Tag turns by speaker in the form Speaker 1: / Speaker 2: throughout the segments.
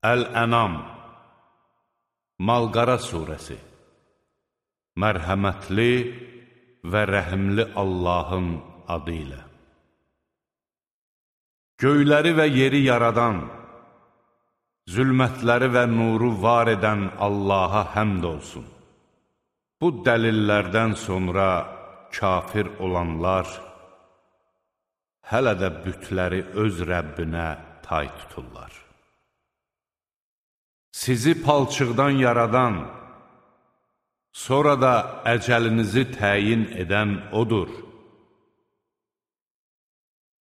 Speaker 1: Əl-Ənam Mal-qara surəsi. Mərhəmətli və rəhimli Allahın adı ilə. Göyləri və yeri yaradan, zülmətləri və nuru var edən Allaha həmd olsun. Bu dəlillərdən sonra kafir olanlar hələ də bütləri öz Rəbbinə tay tuturlar. Sizi palçıqdan yaradan, sonra da əcəlinizi təyin edən odur.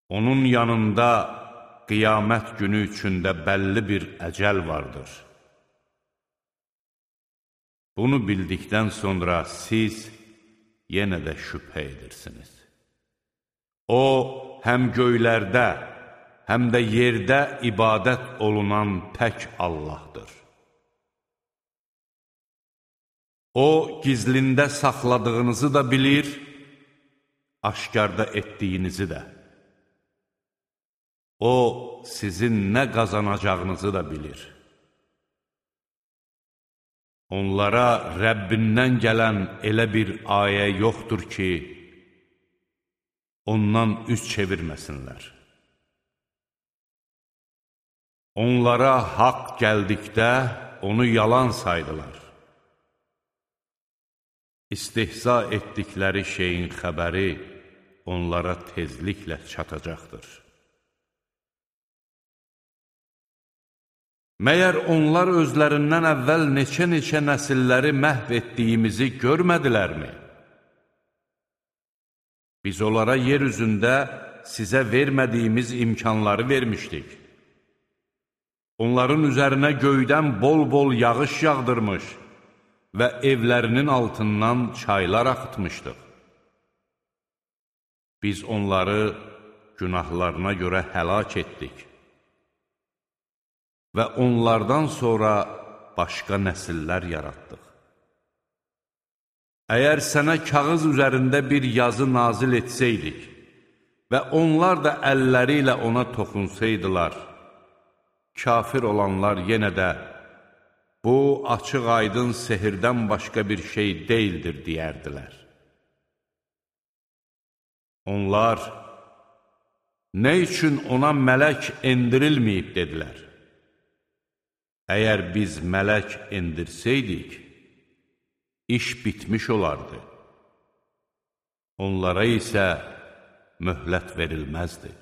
Speaker 1: Onun yanında qiyamət günü üçündə bəlli bir əcəl vardır. Bunu bildikdən sonra siz yenə də şübhə edirsiniz. O, həm göylərdə, həm də yerdə ibadət olunan tək Allahdır. O, gizlində saxladığınızı da bilir, aşkarda etdiyinizi də. O, sizin nə qazanacağınızı da bilir. Onlara Rəbbindən gələn elə bir ayə yoxdur ki, ondan üz çevirməsinlər. Onlara haqq gəldikdə onu yalan saydılar. İstihza etdikləri şeyin xəbəri onlara tezliklə çatacaqdır. Məyər onlar özlərindən əvvəl neçə-neçə nəsilləri məhv etdiyimizi görmədilərmi? Biz onlara yer üzündə sizə vermədiyimiz imkanları vermişdik. Onların üzərinə göydən bol-bol yağış yağdırmış və evlərinin altından çaylar axıtmışdıq. Biz onları günahlarına görə həlak etdik və onlardan sonra başqa nəsillər yaratdıq. Əgər sənə kağız üzərində bir yazı nazil etsəydik və onlar da əlləri ilə ona toxunsaydılar, kafir olanlar yenə də bu açıq-aydın sehirdən başqa bir şey deyildir, deyərdilər. Onlar, nə üçün ona mələk endirilməyib, dedilər. Əgər biz mələk endirsəydik, iş bitmiş olardı. Onlara isə möhlət verilməzdi.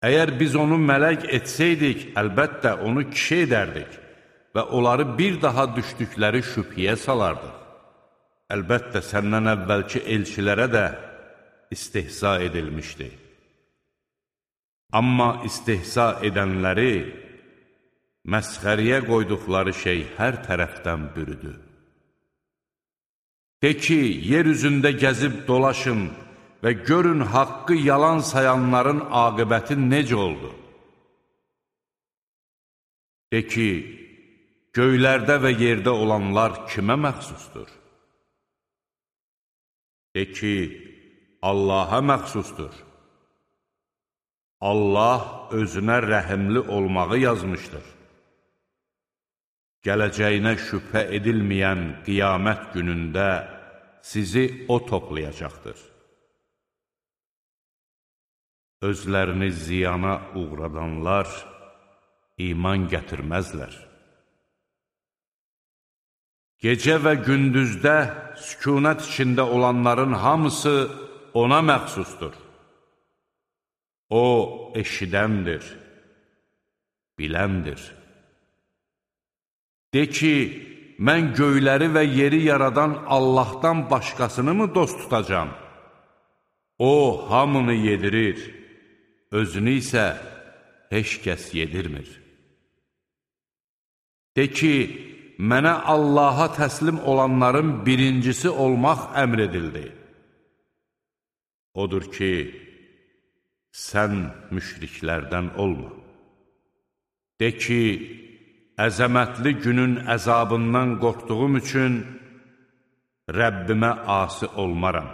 Speaker 1: Əgər biz onu mələk etsəydik, əlbəttə onu kişi edərdik və onları bir daha düşdükləri şübhəyə salardıq. Əlbəttə səndən əvvəlki elçilərə də istihza edilmişdi. Amma istihza edənləri məsxəriyə qoyduqları şey hər tərəfdən bürüdü. De ki, yer üzündə gəzib dolaşın və görün haqqı yalan sayanların aqibəti necə oldu? De ki, göylərdə və yerdə olanlar kimə məxsusdur? De ki, Allaha məxsusdur. Allah özünə rəhimli olmağı yazmışdır. Gələcəyinə şübhə edilməyən qiyamət günündə sizi o toplayacaqdır. Özlərini ziyana uğradanlar iman gətirməzlər. Gecə və gündüzdə sükunət içində olanların hamısı ona məxsusdur. O, eşidəndir, biləndir. De ki, mən göyləri və yeri yaradan Allahdan başqasını mı dost tutacam? O, hamını yedirir, özünü isə heç kəs yedirmir. De ki, mənə Allaha təslim olanların birincisi olmaq əmr edildi. Odur ki, sən müşriklərdən olma. De ki, əzəmətli günün əzabından qorxduğum üçün Rəbbimə asi olmaram.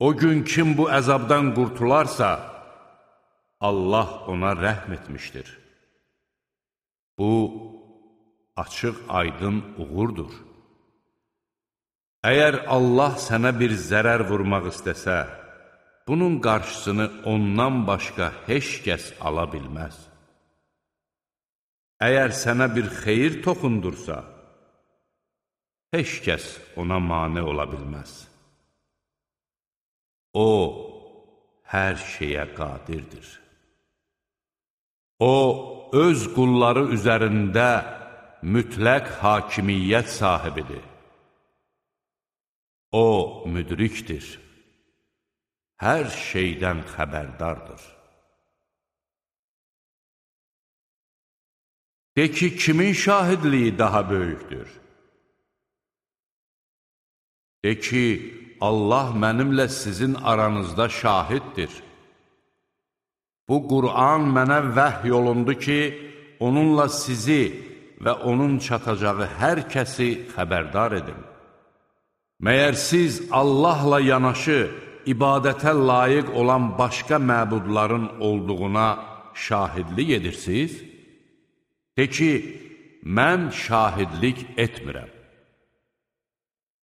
Speaker 1: O gün kim bu əzabdan qurtularsa, Allah ona rəhm etmişdir. Bu, açıq aydın uğurdur. Əgər Allah sənə bir zərər vurmaq istəsə, bunun qarşısını ondan başqa heç kəs ala bilməz. Əgər sənə bir xeyir toxundursa, heç kəs ona mane ola bilməz. O, hər şeyə qadirdir. O, öz qulları üzərində mütləq hakimiyyət sahibidir. O, müdrikdir. Hər şeydən xəbərdardır. De ki, kimin şahidliyi daha böyükdür? De ki, Allah mənimlə sizin aranızda şahiddir. Bu Qur'an mənə vəhy olundu ki, onunla sizi və onun çatacağı hər kəsi xəbərdar edin. Məyər siz Allahla yanaşı, ibadətə layiq olan başqa məbudların olduğuna şahidlik edirsiniz? De ki, mən şahidlik etmirəm.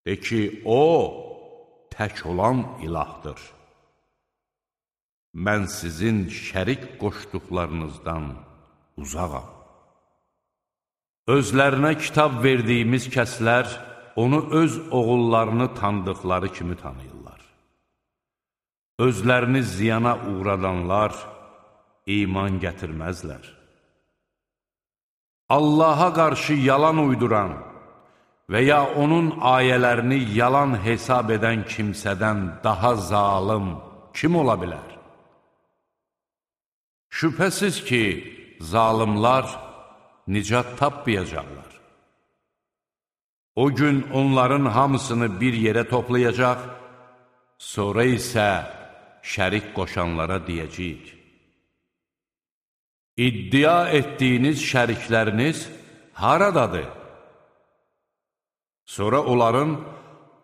Speaker 1: De ki, o, tək olan ilahdır. Mən sizin şərik qoşduqlarınızdan uzağam. Özlərinə kitab verdiyimiz kəslər, onu öz oğullarını tanıdıqları kimi tanıyırlar. Özlərini ziyana uğradanlar iman gətirməzlər. Allaha qarşı yalan uyduran və ya onun ayələrini yalan hesab edən kimsədən daha zalım kim ola bilər? Şübhəsiz ki, zalimlar nicat tapmayacaqlar. O gün onların hamısını bir yerə toplayacaq, sonra isə şərik qoşanlara deyəcəyik. İddia etdiyiniz şərikləriniz haradadır? Sonra onların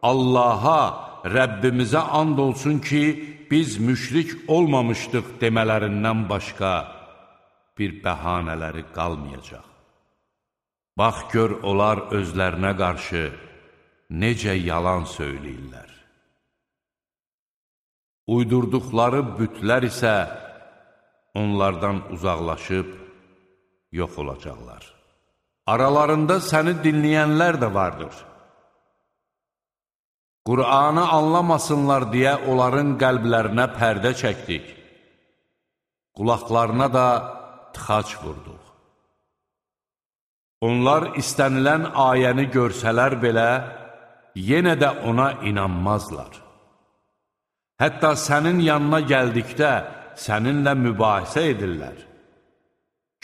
Speaker 1: Allaha, Rəbbimizə and olsun ki, biz müşrik olmamışdıq demələrindən başqa bir bəhanələri qalmayacaq. Bax gör, onlar özlərinə qarşı necə yalan söyləyirlər. Uydurduqları bütlər isə onlardan uzaqlaşıb yox olacaqlar. Aralarında səni dinləyənlər də vardır. Qur'anı anlamasınlar deyə onların qəlblərinə pərdə çəkdik. Qulaqlarına da tıxac vurduq. Onlar istənilən ayəni görsələr belə, yenə də ona inanmazlar. Hətta sənin yanına gəldikdə səninlə mübahisə edirlər.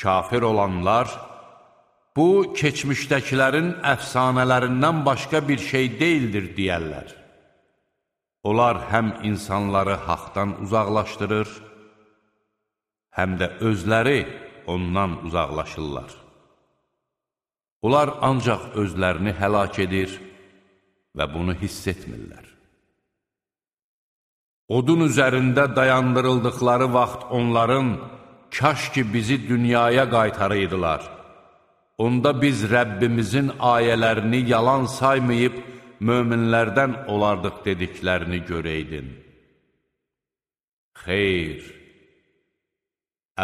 Speaker 1: Kafir olanlar, bu, keçmişdəkilərin əfsanələrindən başqa bir şey deyildir, deyərlər. Onlar həm insanları haqdan uzaqlaşdırır, həm də özləri ondan uzaqlaşırlar. Onlar ancaq özlərini həlak edir və bunu hiss etmirlər. Odun üzərində dayandırıldıqları vaxt onların, kaş ki bizi dünyaya qaytarıydılar. Onda biz Rəbbimizin ayələrini yalan saymayıb, möminlərdən olardıq dediklərini görəydin. Xeyr,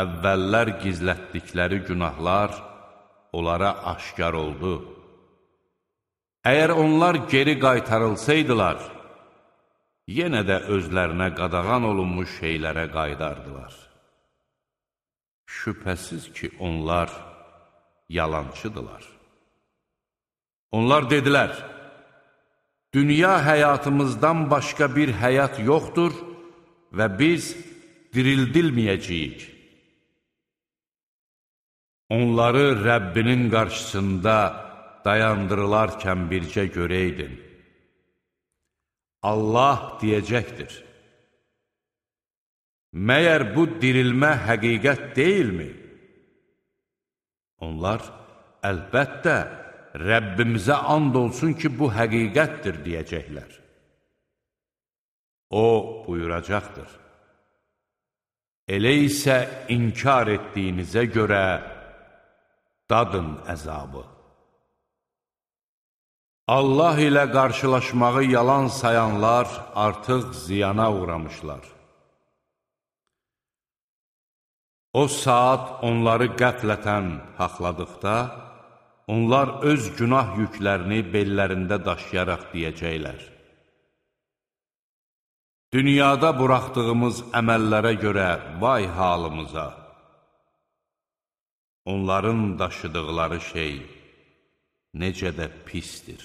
Speaker 1: əvvəllər gizlətdikləri günahlar onlara aşkar oldu. Əgər onlar geri qaytarılsaydılar, yenə də özlərinə qadağan olunmuş şeylərə qaydardılar. Şübhəsiz ki, onlar yalancıdılar. Onlar dedilər, dünya həyatımızdan başqa bir həyat yoxdur və biz dirildilməyəcəyik. Onları Rəbbinin qarşısında dayandırılarkən bircə görəydin. Allah deyəcəkdir, məyər bu dirilmə həqiqət deyilmi? Onlar, əlbəttə, Rəbbimizə and olsun ki, bu həqiqətdir, deyəcəklər. O buyuracaqdır, Elə isə inkar etdiyinizə görə dadın əzabı. Allah ilə qarşılaşmağı yalan sayanlar artıq ziyana uğramışlar. O saat onları qəflətən haqladıqda, onlar öz günah yüklərini bellərində daşıyaraq deyəcəklər: dünyada buraxdığımız əməllərə görə vay halımıza! Onların daşıdıqları şey necə də pisdir.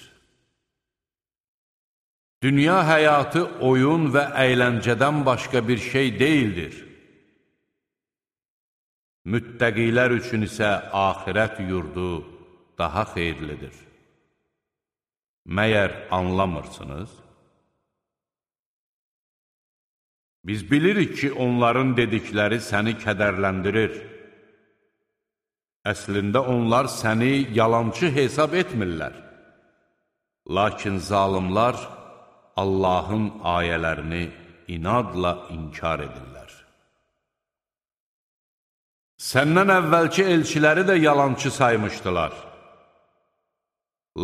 Speaker 1: Dünya həyatı oyun və əyləncədən başqa bir şey deyildir. Müttəqilər üçün isə axirət yurdu daha xeyirlidir. Məyər anlamırsınız? Biz bilirik ki, onların dedikləri səni kədərləndirir. Əslində onlar səni yalançı hesab etmirlər. Lakin zalimlar Allahın ayələrini inadla inkar edirlər. Səndən əvvəlki elçiləri də yalançı saymışdılar.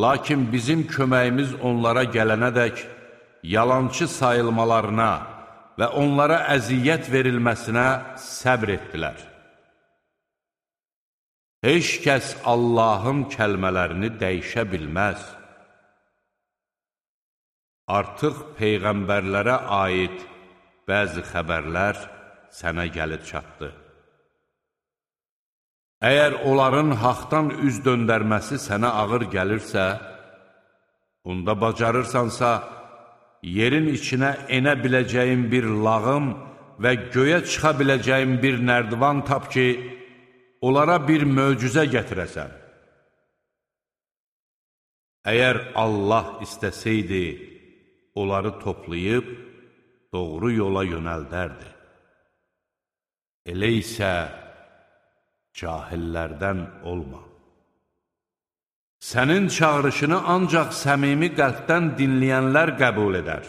Speaker 1: Lakin bizim köməyimiz onlara gələnədək yalançı sayılmalarına və onlara əziyyət verilməsinə səbr etdilər. Heç kəs Allahın kəlmələrini dəyişə bilməz. Artıq peyğəmbərlərə aid bəzi xəbərlər sənə gəlib çatdı. Əgər onların haqdan üz döndərməsi sənə ağır gəlirsə, onda bacarırsansa, yerin içinə enə biləcəyin bir lağım və göyə çıxa biləcəyin bir nərdivan tap ki, onlara bir möcüzə gətirəsən. Əgər Allah istəsəydi, onları toplayıb, doğru yola yönəldərdi. Elə isə cahillərdən olma. Sənin çağırışını ancaq səmimi qəlbdən dinləyənlər qəbul edər.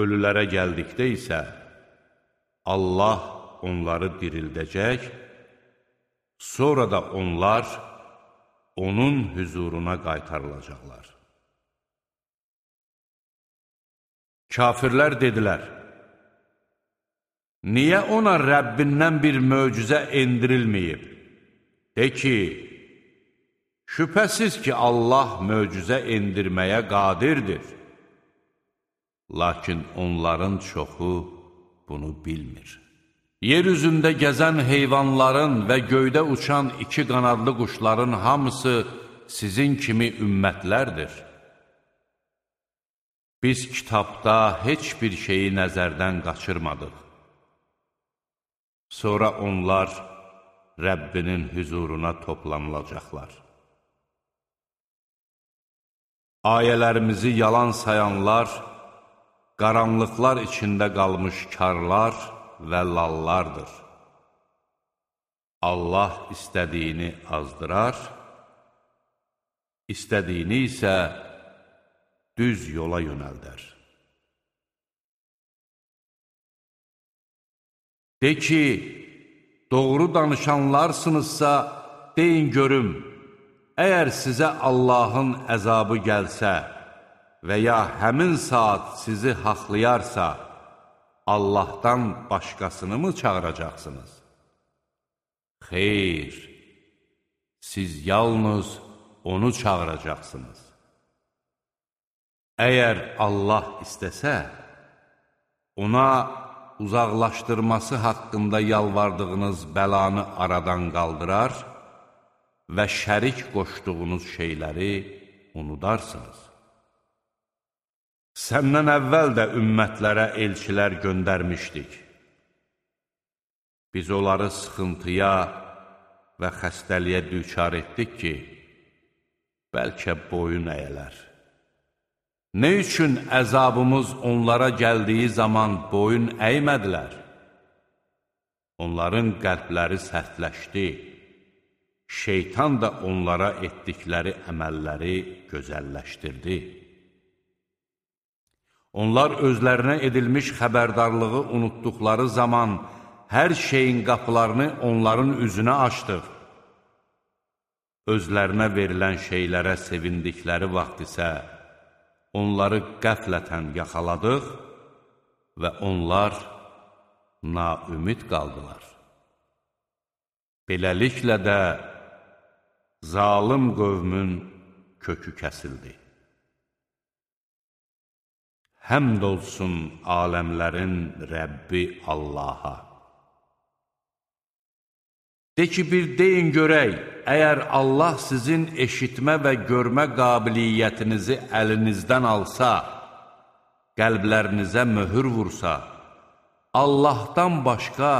Speaker 1: Ölülərə gəldikdə isə Allah onları dirildəcək, sonra da onlar onun hüzuruna qaytarılacaqlar. Kafirlər dedilər: niyə ona Rəbbindən bir möcüzə endirilməyib? De ki, şübhəsiz ki, Allah möcüzə endirməyə qadirdir. Lakin onların çoxu bunu bilmir. Yer üzündə gəzən heyvanların və göydə uçan iki qanadlı quşların hamısı sizin kimi ümmətlərdir. Biz kitabda heç bir şeyi nəzərdən qaçırmadıq. Sonra onlar Rəbbinin hüzuruna toplanılacaqlar. Ayələrimizi yalan sayanlar, qaranlıqlar içində qalmış karlar və lallardır. Allah istədiyini azdırar, istədiyini isə düz yola yönəldər. De ki, doğru danışanlarsınızsa, deyin görüm, əgər sizə Allahın əzabı gəlsə və ya həmin saat sizi haqlayarsa, Allahdan başqasını mı çağıracaqsınız? Xeyr, siz yalnız onu çağıracaqsınız. Əgər Allah istəsə, ona uzaqlaşdırması haqqında yalvardığınız bəlanı aradan qaldırar və şərik qoşduğunuz şeyləri unudarsınız. Səndən əvvəl də ümmətlərə elçilər göndərmişdik. Biz onları sıxıntıya və xəstəliyə düçar etdik ki, bəlkə boyun əyələr. Nə üçün əzabımız onlara gəldiyi zaman boyun əymədilər? Onların qəlbləri sərtləşdi. Şeytan da onlara etdikləri əməlləri gözəlləşdirdi. Onlar özlərinə edilmiş xəbərdarlığı unutduqları zaman hər şeyin qapılarını onların üzünə açdıq. Özlərinə verilən şeylərə sevindikləri vaxt isə onları qəflətən yaxaladıq və onlar naümid qaldılar. Beləliklə də zalım qövmün kökü kəsildi. Həmd olsun aləmlərin Rəbbi Allaha. De ki, bir deyin görək, əgər Allah sizin eşitmə və görmə qabiliyyətinizi əlinizdən alsa, qəlblərinizə möhür vursa, Allahdan başqa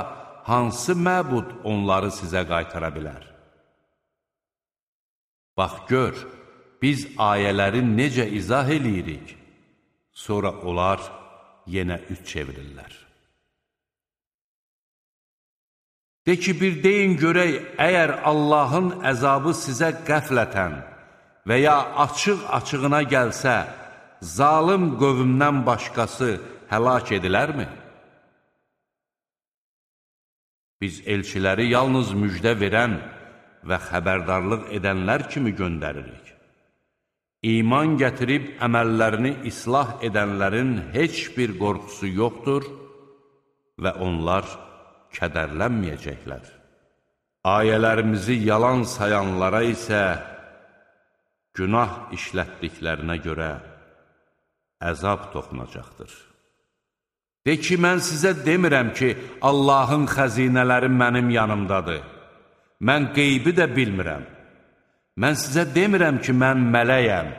Speaker 1: hansı məbud onları sizə qaytara bilər? Bax, gör, biz ayələri necə izah eləyirik, sonra onlar yenə üç çevirirlər. De ki, bir deyin görək, əgər Allahın əzabı sizə qəflətən və ya açıq-açığına gəlsə, zalım qövmdən başqası həlak edilərmi? Biz elçiləri yalnız müjdə verən və xəbərdarlıq edənlər kimi göndəririk. İman gətirib əməllərini islah edənlərin heç bir qorxusu yoxdur və onlar kədərlənməyəcəklər. Ayələrimizi yalan sayanlara isə günah işlətdiklərinə görə əzab toxunacaqdır. De ki, mən sizə demirəm ki, Allahın xəzinələri mənim yanımdadır. Mən qeybi də bilmirəm. Mən sizə demirəm ki, mən mələyəm.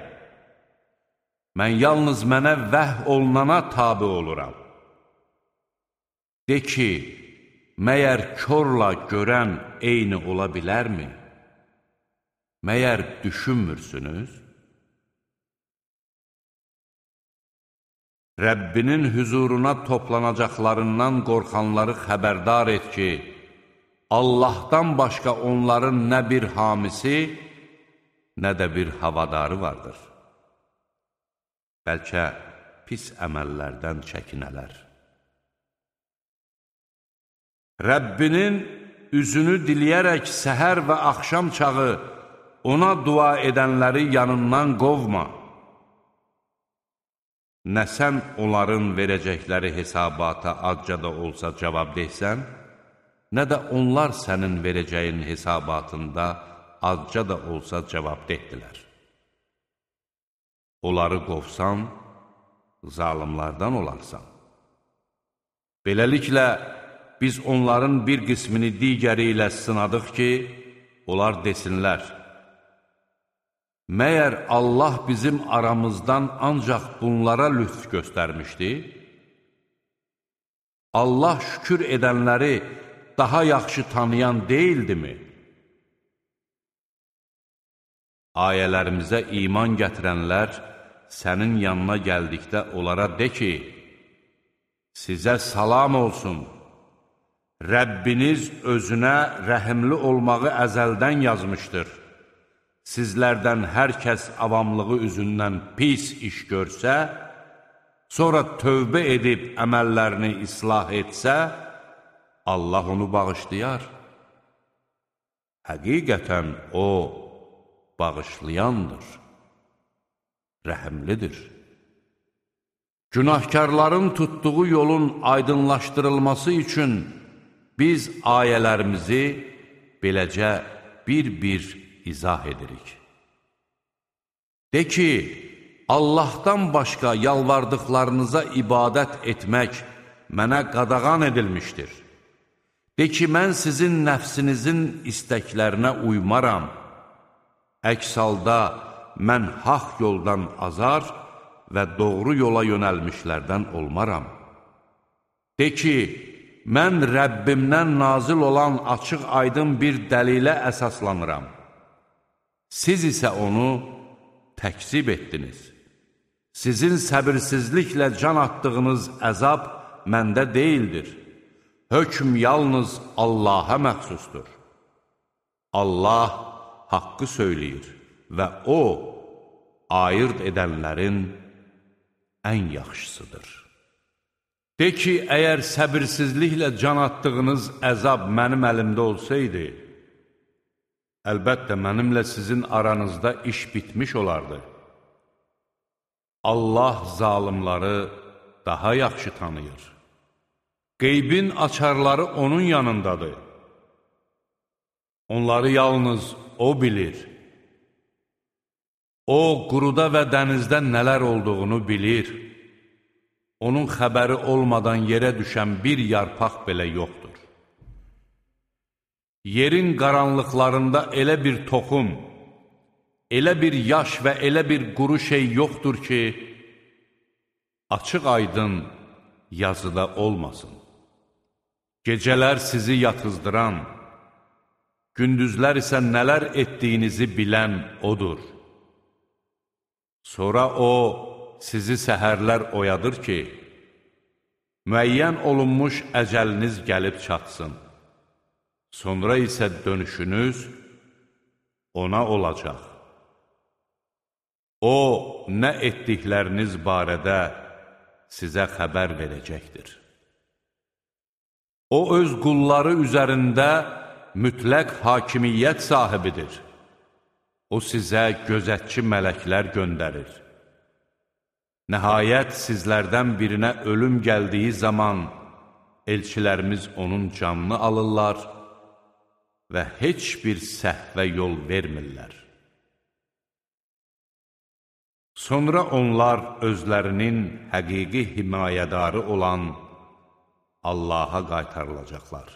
Speaker 1: Mən yalnız mənə vəh olunana tabi oluram. De ki, məyər körla görən eyni ola bilərmi? Məyər düşünmürsünüz? Rəbbinin hüzuruna toplanacaqlarından qorxanları xəbərdar et ki, Allahdan başqa onların nə bir hamisi, nə də bir havadarı vardır. Bəlkə pis əməllərdən çəkinələr. Rəbbinin üzünü diləyərək səhər və axşam çağı ona dua edənləri yanından qovma. Nə sən onların verəcəkləri hesabata azca da olsa cavab deysən, nə də onlar sənin verəcəyin hesabatında azca da olsa cavab dehdilər. Onları qovsan, zalimlardan olarsan. Beləliklə, biz onların bir qismini digəri ilə sınadıq ki, onlar desinlər, məyər Allah bizim aramızdan ancaq bunlara lütf göstərmişdi? Allah şükür edənləri daha yaxşı tanıyan deyildimi? Ayələrimizə iman gətirənlər sənin yanına gəldikdə onlara de ki, sizə salam olsun, Rəbbiniz özünə rəhimli olmağı əzəldən yazmışdır. Sizlərdən hər kəs avamlığı üzündən pis iş görsə, sonra tövbə edib əməllərini islah etsə, Allah onu bağışlayar. Həqiqətən o bağışlayandır, rəhimlidir. Günahkarların tutduğu yolun aydınlaşdırılması üçün biz ayələrimizi beləcə bir-bir izah edirik. De ki, Allahdan başqa yalvardıqlarınıza ibadət etmək mənə qadağan edilmişdir. De ki, mən sizin nəfsinizin istəklərinə uymaram. Əks halda mən haqq yoldan azar və doğru yola yönəlmişlərdən olmaram. De ki, mən Rəbbimdən nazil olan açıq-aydın bir dəlilə əsaslanıram. Siz isə onu təkzib etdiniz. Sizin səbirsizliklə can atdığınız əzab məndə deyildir. Hökm yalnız Allaha məxsusdur. Allah haqqı söyləyir və O, ayırd edənlərin ən yaxşısıdır. De ki, əgər səbirsizliklə can atdığınız əzab mənim əlimdə olsaydı, əlbəttə mənimlə sizin aranızda iş bitmiş olardı. Allah zalimları daha yaxşı tanıyır. Qeybin açarları onun yanındadır. Onları yalnız O bilir. O, quruda və dənizdə nələr olduğunu bilir. Onun xəbəri olmadan yerə düşən bir yarpaq belə yoxdur. Yerin qaranlıqlarında elə bir toxum, elə bir yaş və elə bir quru şey yoxdur ki, açıq aydın yazıda olmasın. Gecələr sizi yatızdıran, gündüzlər isə nələr etdiyinizi bilən O'dur. Sonra O, sizi səhərlər oyadır ki, müəyyən olunmuş əcəliniz gəlib çatsın. Sonra isə dönüşünüz ona olacaq. O, nə etdikləriniz barədə sizə xəbər verəcəkdir. O, öz qulları üzərində mütləq hakimiyyət sahibidir. O, sizə gözətçi mələklər göndərir. Nəhayət, sizlərdən birinə ölüm gəldiyi zaman elçilərimiz onun canını alırlar və heç bir səhvə yol vermirlər. Sonra onlar özlərinin həqiqi himayədarı olan Allaha qaytarılacaqlar.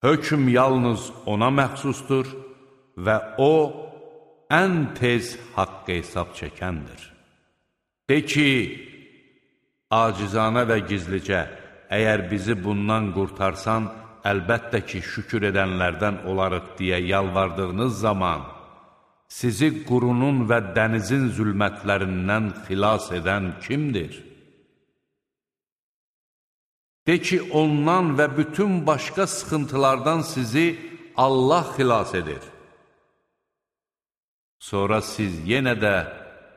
Speaker 1: Hökm yalnız ona məxsusdur və O, ən tez haqq hesab çəkəndir. De ki, acizanə və gizlicə, əgər bizi bundan qurtarsan, əlbəttə ki, şükür edənlərdən olarıq deyə yalvardığınız zaman, sizi qurunun və dənizin zülmətlərindən xilas edən kimdir? De ki, ondan və bütün başqa sıxıntılardan sizi Allah xilas edir. Sonra siz yenə də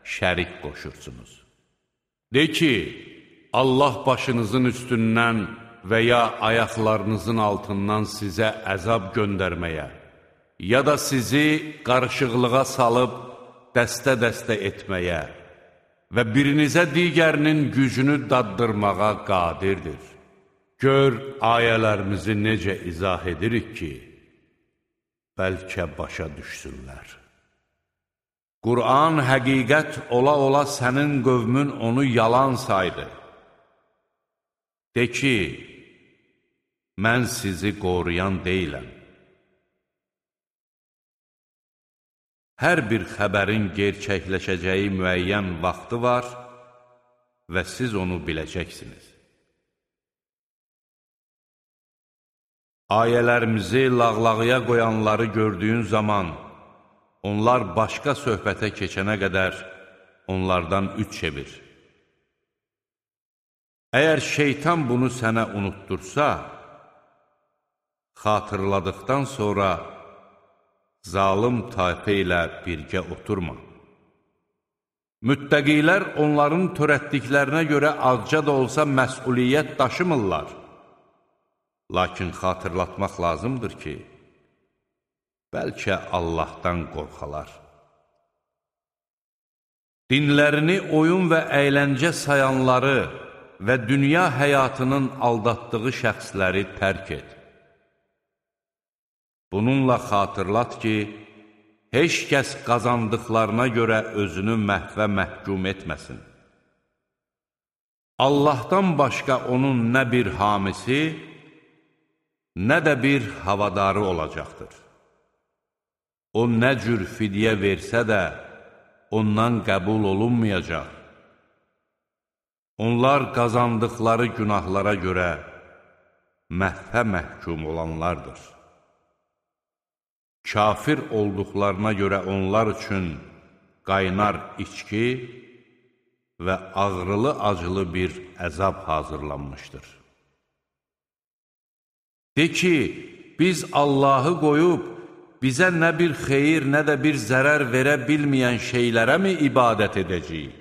Speaker 1: şərik qoşursunuz. De ki, Allah başınızın üstündən və ya ayaqlarınızın altından sizə əzab göndərməyə, ya da sizi qarışıqlığa salıb dəstə-dəstə etməyə və birinizə digərinin gücünü daddırmağa qadirdir. Gör, ayələrimizi necə izah edirik ki, bəlkə başa düşsünlər. Qur'an həqiqət ola-ola sənin qövmün onu yalan saydı. De ki, mən sizi qoruyan deyiləm. Hər bir xəbərin gerçəkləşəcəyi müəyyən vaxtı var və siz onu biləcəksiniz. Ayələrimizi lağlağıya qoyanları gördüyün zaman, onlar başqa söhbətə keçənə qədər onlardan üç çevir. Əgər şeytan bunu sənə unutdursa, xatırladıqdan sonra zalım tayfə ilə birgə oturma. Müttəqilər onların törətdiklərinə görə azca da olsa məsuliyyət daşımırlar. Lakin xatırlatmaq lazımdır ki, bəlkə Allahdan qorxalar. Dinlərini oyun və əyləncə sayanları və dünya həyatının aldatdığı şəxsləri tərk et. Bununla xatırlat ki, heç kəs qazandıqlarına görə özünü məhvə məhkum etməsin. Allahdan başqa onun nə bir hamisi, nə də bir havadarı olacaqdır. O nə cür fidyə versə də, ondan qəbul olunmayacaq. Onlar qazandıqları günahlara görə məhvə məhkum olanlardır. Kafir olduqlarına görə onlar üçün qaynar içki və ağrılı-acılı bir əzab hazırlanmışdır. De ki, biz Allahı qoyub, bizə nə bir xeyir, nə də bir zərər verə bilməyən şeylərə mi ibadət edəcəyik?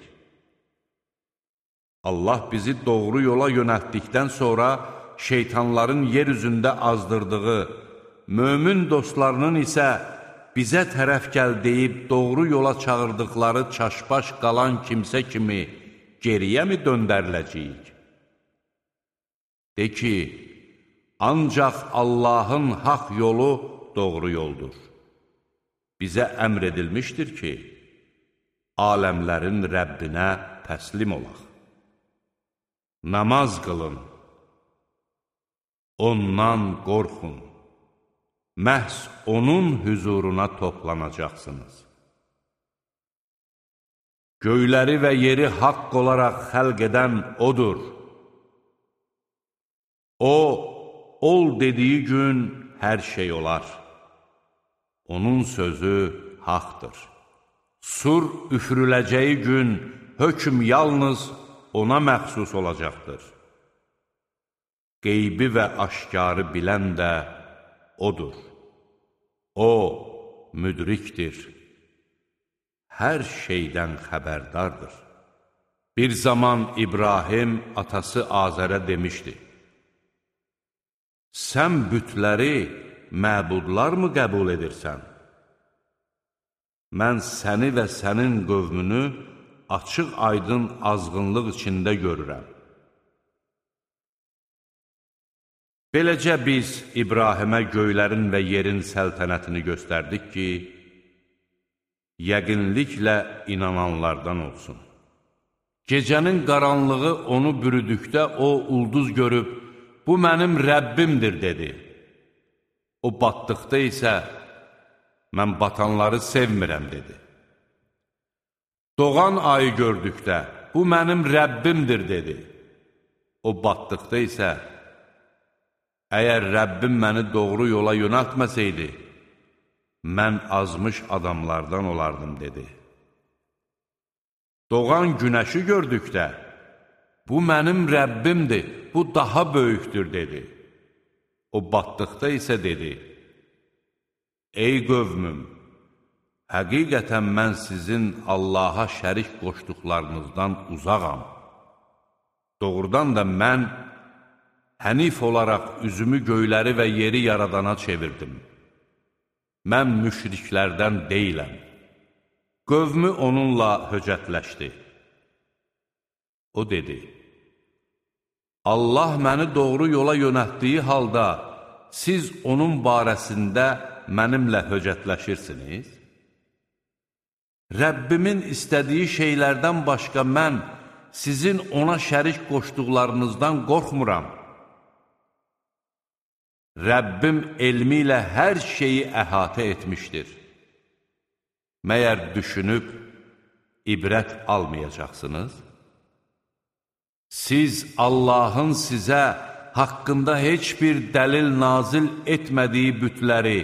Speaker 1: Allah bizi doğru yola yönəltdikdən sonra şeytanların yer üzündə azdırdığı, mömin dostlarının isə bizə tərəf gəl deyib doğru yola çağırdıqları çaşbaş qalan kimsə kimi geriyə mi döndəriləcəyik? De ki, ancaq Allahın haqq yolu doğru yoldur. Bizə əmr edilmişdir ki, aləmlərin Rəbbinə təslim olaq. Namaz qılın, ondan qorxun, məhz onun hüzuruna toplanacaqsınız. Göyləri və yeri haqq olaraq xəlq edən odur. O, ol dediyi gün hər şey olar. Onun sözü haqdır. Sur üfürüləcəyi gün hökm yalnız ona məxsus olacaqdır. Qeybi və aşkarı bilən də odur. O, müdrikdir. Hər şeydən xəbərdardır. Bir zaman İbrahim atası Azərə demişdi: Sən bütləri məbudlar mı qəbul edirsən? Mən səni və sənin qövmünü açıq aydın azğınlıq içində görürəm. Beləcə biz İbrahimə göylərin və yerin səltənətini göstərdik ki, yəqinliklə inananlardan olsun. Gecənin qaranlığı onu bürüdükdə o ulduz görüb, bu mənim Rəbbimdir dedi. O batdıqda isə, mən batanları sevmirəm dedi. Doğan ayı gördükdə, bu mənim Rəbbimdir dedi. O batdıqda isə, əgər Rəbbim məni doğru yola yönəltməsəydi, mən azmış adamlardan olardım dedi. Doğan günəşi gördükdə, bu mənim Rəbbimdir, bu daha böyükdür dedi. O batdıqda isə dedi: Ey qövmüm, həqiqətən mən sizin Allaha şərik qoşduqlarınızdan uzağam. Doğrudan da mən hənif olaraq üzümü göyləri və yeri yaradana çevirdim. Mən müşriklərdən deyiləm. Qövmü onunla höcətləşdi. O dedi: Allah məni doğru yola yönəltdiyi halda, siz onun barəsində mənimlə höcətləşirsiniz? Rəbbimin istədiyi şeylərdən başqa mən sizin ona şərik qoşduqlarınızdan qorxmuram. Rəbbim elmi ilə hər şeyi əhatə etmişdir. Məyər düşünüb ibrət almayacaqsınız? Siz Allahın sizə haqqında heç bir dəlil nazil etmədiyi bütləri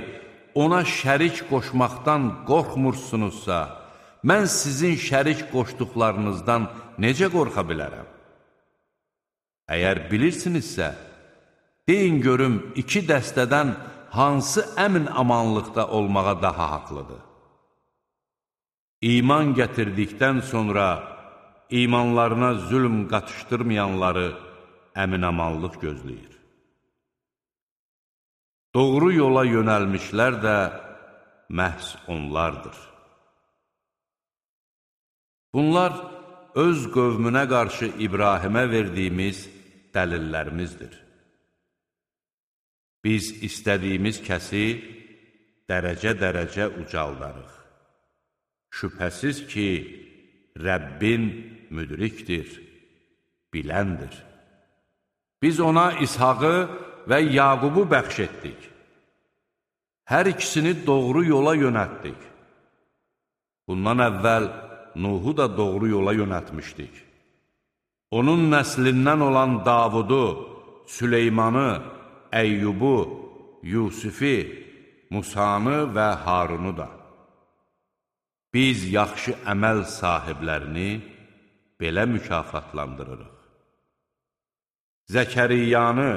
Speaker 1: ona şərik qoşmaqdan qorxmursunuzsa, mən sizin şərik qoşduqlarınızdan necə qorxa bilərəm? Əgər bilirsinizsə, deyin görüm, iki dəstədən hansı əmin-amanlıqda olmağa daha haqlıdır? İman gətirdikdən sonra imanlarına zülm qatışdırmayanları əmin-amanlıq gözləyir. Doğru yola yönəlmişlər də məhz onlardır. Bunlar öz qövmünə qarşı İbrahimə verdiyimiz dəlillərimizdir. Biz istədiyimiz kəsi dərəcə-dərəcə ucaldarıq. Şübhəsiz ki, Rəbbin müdrikdir, biləndir. Biz ona İshaqı və Yaqubu bəxş etdik. Hər ikisini doğru yola yönəltdik. Bundan əvvəl Nuhu da doğru yola yönəltmişdik. Onun nəslindən olan Davudu, Süleymanı, Əyyubu, Yusifi, Musanı və Harunu da. Biz yaxşı əməl sahiblərini belə mükafatlandırırıq. Zəkəriyanı,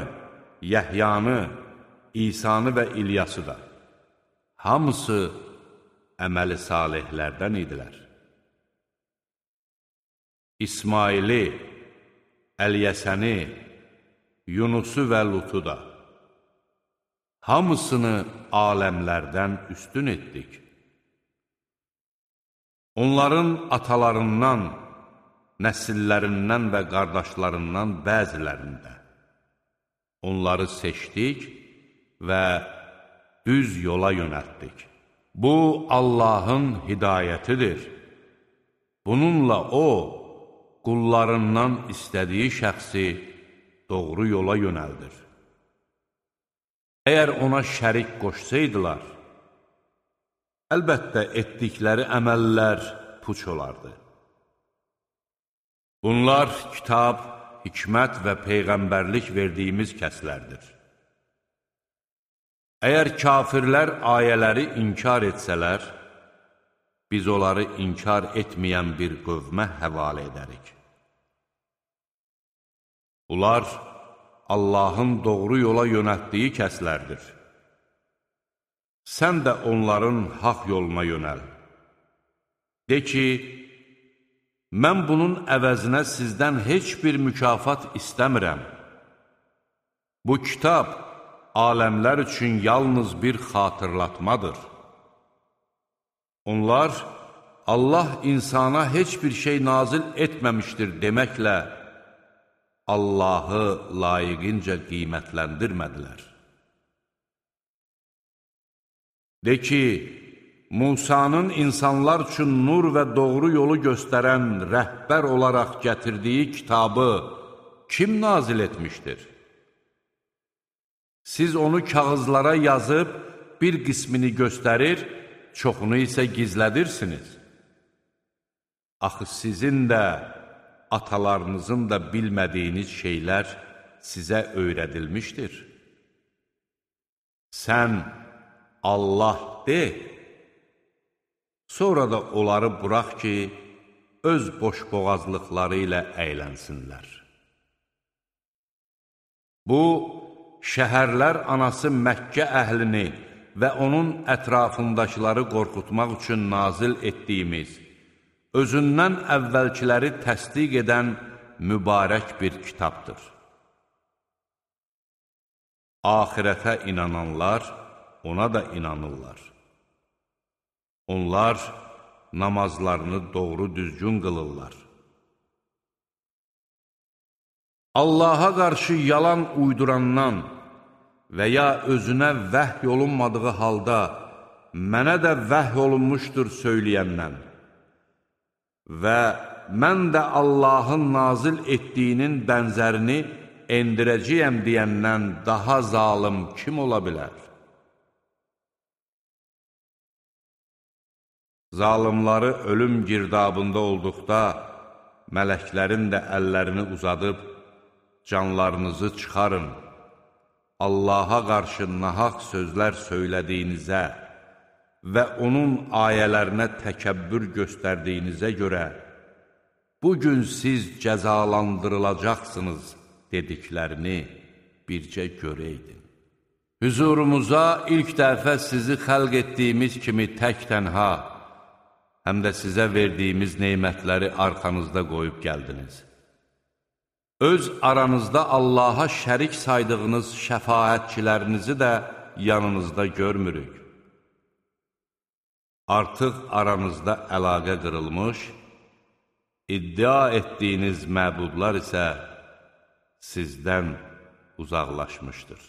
Speaker 1: Yəhyanı, İsanı və İlyası da. Hamısı əməli salihlərdən idilər. İsmaili, Əlyəsəni, Yunusu və Lutu da. Hamısını aləmlərdən üstün etdik. Onların atalarından, nəsillərindən və qardaşlarından bəzilərində onları seçdik və düz yola yönəltdik. Bu, Allahın hidayətidir. Bununla O, qullarından istədiyi şəxsi doğru yola yönəldir. Əgər ona şərik qoşsaydılar, əlbəttə etdikləri əməllər puç olardı. Bunlar kitab, hikmət və peyğəmbərlik verdiyimiz kəslərdir. Əgər kafirlər ayələri inkar etsələr, biz onları inkar etməyən bir qövmə həvalə edərik. Bunlar Allahın doğru yola yönəltdiyi kəslərdir. Sən də onların haqq yoluna yönəl. De ki, mən bunun əvəzinə sizdən heç bir mükafat istəmirəm. Bu kitab aləmlər üçün yalnız bir xatırlatmadır. Onlar, Allah insana heç bir şey nazil etməmişdir deməklə, Allahı layiqincə qiymətləndirmədilər. De ki, Musanın insanlar üçün nur və doğru yolu göstərən rəhbər olaraq gətirdiyi kitabı kim nazil etmişdir? Siz onu kağızlara yazıb bir qismini göstərir, çoxunu isə gizlədirsiniz. Axı sizin də, atalarınızın da bilmədiyiniz şeylər sizə öyrədilmişdir. Sən Allah de, sonra da onları burax ki, öz boşboğazlıqları ilə əylənsinlər. Bu, şəhərlər anası Məkkə əhlini və onun ətrafındakıları qorxutmaq üçün nazil etdiyimiz, özündən əvvəlkiləri təsdiq edən mübarək bir kitabdır. Axirətə inananlar ona da inanırlar. Onlar namazlarını doğru düzgün qılırlar. Allaha qarşı yalan uydurandan və ya özünə vəhy olunmadığı halda mənə də vəhy olunmuşdur söyləyəndən və mən də Allahın nazil etdiyinin bənzərini endirəcəyəm deyəndən daha zalım kim ola bilər? Zalimları ölüm girdabında olduqda, mələklərin də əllərini uzadıb, canlarınızı çıxarın, Allaha qarşı nahaq sözlər söylədiyinizə və onun ayələrinə təkəbbür göstərdiyinizə görə, bugün siz cəzalandırılacaqsınız dediklərini bircə görəydin. Hüzurumuza ilk dəfə sizi xəlq etdiyimiz kimi tək-tənha, həm də sizə verdiyimiz neymətləri arxanızda qoyub gəldiniz. Öz aranızda Allaha şərik saydığınız şəfaətçilərinizi də yanınızda görmürük. Artıq aranızda əlaqə qırılmış, iddia etdiyiniz məbudlar isə sizdən uzaqlaşmışdır.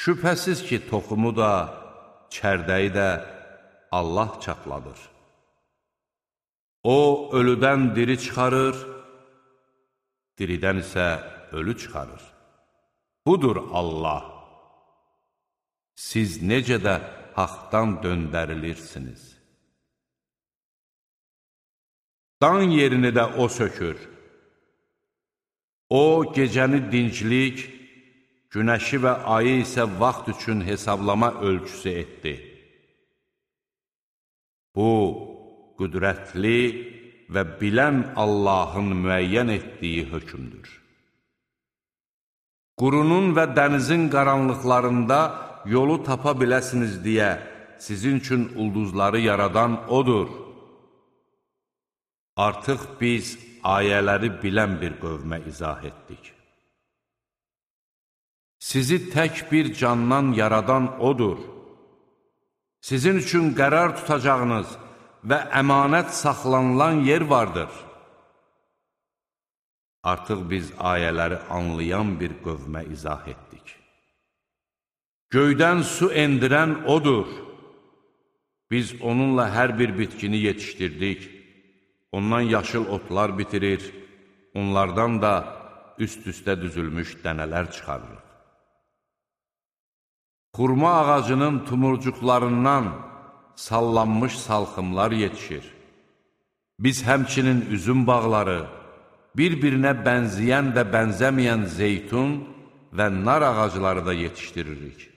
Speaker 1: Şübhəsiz ki, toxumu da, çərdəyi də Allah çatladır. O, ölüdən diri çıxarır, diridən isə ölü çıxarır. Budur Allah. Siz necə də haqdan döndərilirsiniz. Dan yerini də O sökür. O, gecəni dinclik, günəşi və ayı isə vaxt üçün hesablama ölçüsü etdi. Bu, qüdrətli və bilən Allahın müəyyən etdiyi hökmdür. Qurunun və dənizin qaranlıqlarında yolu tapa biləsiniz deyə sizin üçün ulduzları yaradan O'dur. Artıq biz ayələri bilən bir qövmə izah etdik. Sizi tək bir candan yaradan odur. Sizin üçün qərar tutacağınız və əmanət saxlanılan yer vardır. Artıq biz ayələri anlayan bir qövmə izah etdik. Göydən su endirən odur. Biz onunla hər bir bitkini yetişdirdik. Ondan yaşıl otlar bitirir, onlardan da üst-üstə düzülmüş dənələr çıxarırıq. Xurma ağacının tumurcuqlarından sallanmış salxımlar yetişir. Biz həmçinin üzüm bağları, bir-birinə bənzəyən və bənzəməyən zeytun və nar ağacları da yetişdiririk.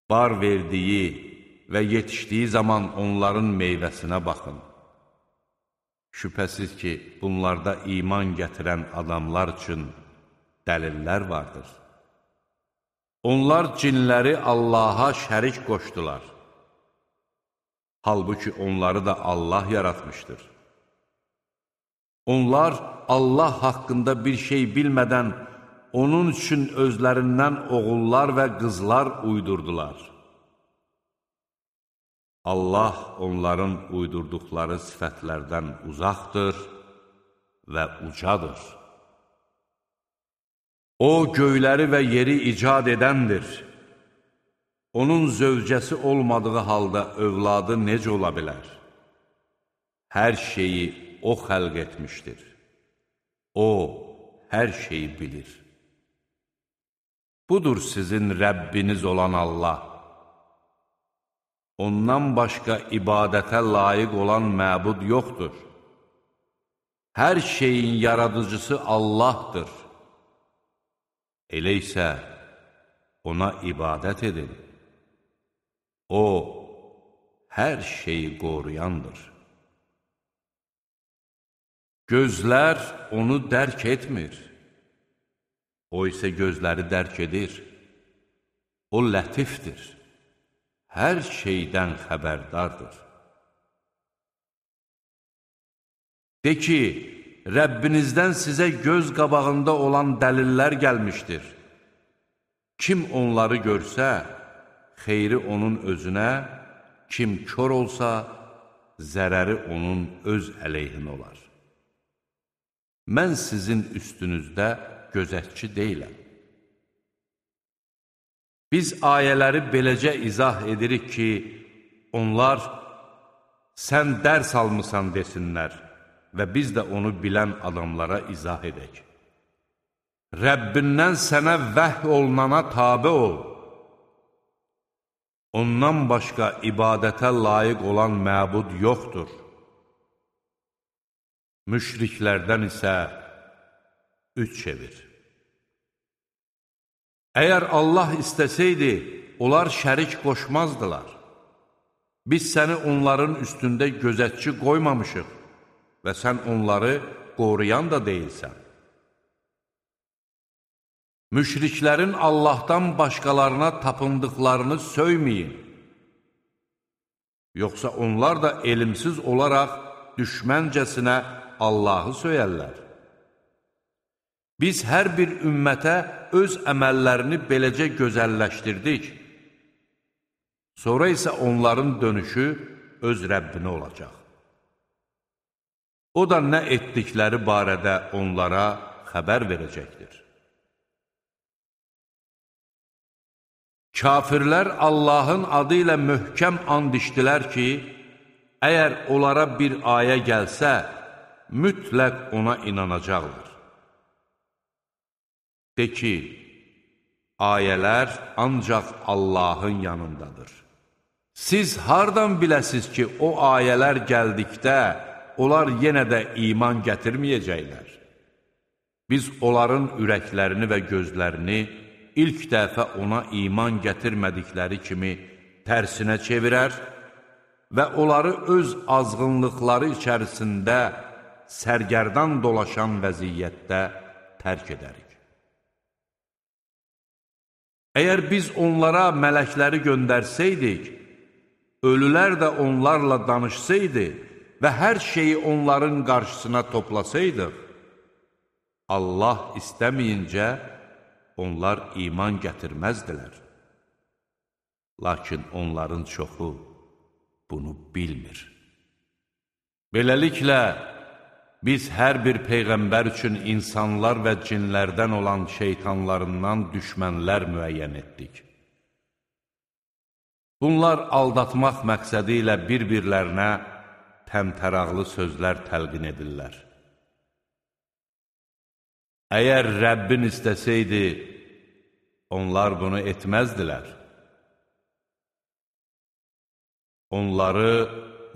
Speaker 1: Bar verdiyi və yetişdiyi zaman onların meyvəsinə baxın. Şübhəsiz ki, bunlarda iman gətirən adamlar üçün dəlillər vardır. Onlar cinləri Allaha şərik qoşdular. Halbuki onları da Allah yaratmışdır. Onlar Allah haqqında bir şey bilmədən onun üçün özlərindən oğullar və qızlar uydurdular. Allah onların uydurduqları sifətlərdən uzaqdır və ucadır. O, göyləri və yeri icad edəndir. Onun zövcəsi olmadığı halda övladı necə ola bilər? Hər şeyi O xəlq etmişdir. O, hər şeyi bilir. Budur sizin Rəbbiniz olan Allah. Ondan başqa ibadətə layiq olan məbud yoxdur. Hər şeyin yaradıcısı Allahdır. Elə isə ona ibadət edin. O, hər şeyi qoruyandır. Gözlər onu dərk etmir. O isə gözləri dərk edir. O lətifdir. Hər şeydən xəbərdardır. De ki, Rəbbinizdən sizə göz qabağında olan dəlillər gəlmişdir. Kim onları görsə, xeyri onun özünə, kim kör olsa, zərəri onun öz əleyhinə olar. Mən sizin üstünüzdə gözətçi deyiləm. Biz ayələri beləcə izah edirik ki, onlar sən dərs almısan desinlər və biz də onu bilən adamlara izah edək. Rəbbindən sənə vəhy olunana tabe ol. Ondan başqa ibadətə layiq olan məbud yoxdur. Müşriklərdən isə üç çevir. Əgər Allah istəsəydi, onlar şərik qoşmazdılar. Biz səni onların üstündə gözətçi qoymamışıq və sən onları qoruyan da deyilsən. Müşriklərin Allahdan başqalarına tapındıqlarını söyməyin. Yoxsa onlar da elmsiz olaraq düşməncəsinə Allahı söyərlər. Biz hər bir ümmətə öz əməllərini beləcə gözəlləşdirdik. Sonra isə onların dönüşü öz Rəbbinə olacaq. O da nə etdikləri barədə onlara xəbər verəcəkdir. Kafirlər Allahın adı ilə möhkəm and içdilər ki, əgər onlara bir ayə gəlsə, mütləq ona inanacaqlar. De ki, ayələr ancaq Allahın yanındadır. Siz hardan biləsiz ki, o ayələr gəldikdə, onlar yenə də iman gətirməyəcəklər? Biz onların ürəklərini və gözlərini ilk dəfə ona iman gətirmədikləri kimi tərsinə çevirər və onları öz azğınlıqları içərisində sərgərdan dolaşan vəziyyətdə tərk edərik. Əgər biz onlara mələkləri göndərsəydik, ölülər də onlarla danışsaydı, və hər şeyi onların qarşısına toplasaydıq, Allah istəməyincə onlar iman gətirməzdilər. Lakin onların çoxu bunu bilmir. Beləliklə, biz hər bir peyğəmbər üçün insanlar və cinlərdən olan şeytanlarından düşmənlər müəyyən etdik. Bunlar aldatmaq məqsədi ilə bir-birlərinə təmtəraqlı sözlər təlqin edirlər. Əgər Rəbbin istəsəydi, onlar bunu etməzdilər. Onları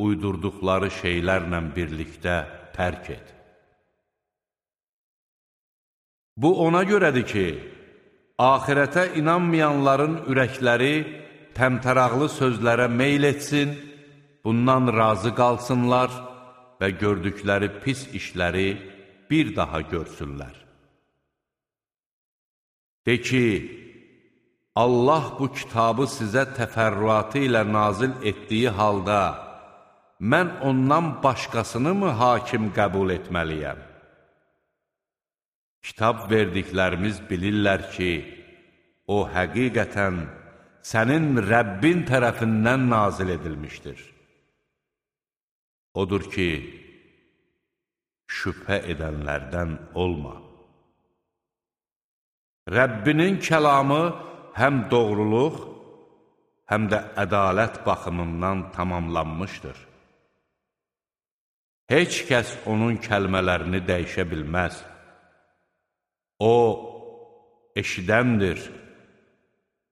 Speaker 1: uydurduqları şeylərlə birlikdə tərk et. Bu ona görədir ki, axirətə inanmayanların ürəkləri təmtəraqlı sözlərə meyl etsin, bundan razı qalsınlar və gördükləri pis işləri bir daha görsünlər. De ki, Allah bu kitabı sizə təfərrüatı ilə nazil etdiyi halda, mən ondan başqasını mı hakim qəbul etməliyəm? Kitab verdiklərimiz bilirlər ki, o həqiqətən sənin Rəbbin tərəfindən nazil edilmişdir. Odur ki, şübhə edənlərdən olma. Rəbbinin kəlamı həm doğruluq, həm də ədalət baxımından tamamlanmışdır. Heç kəs onun kəlmələrini dəyişə bilməz. O, eşidəndir,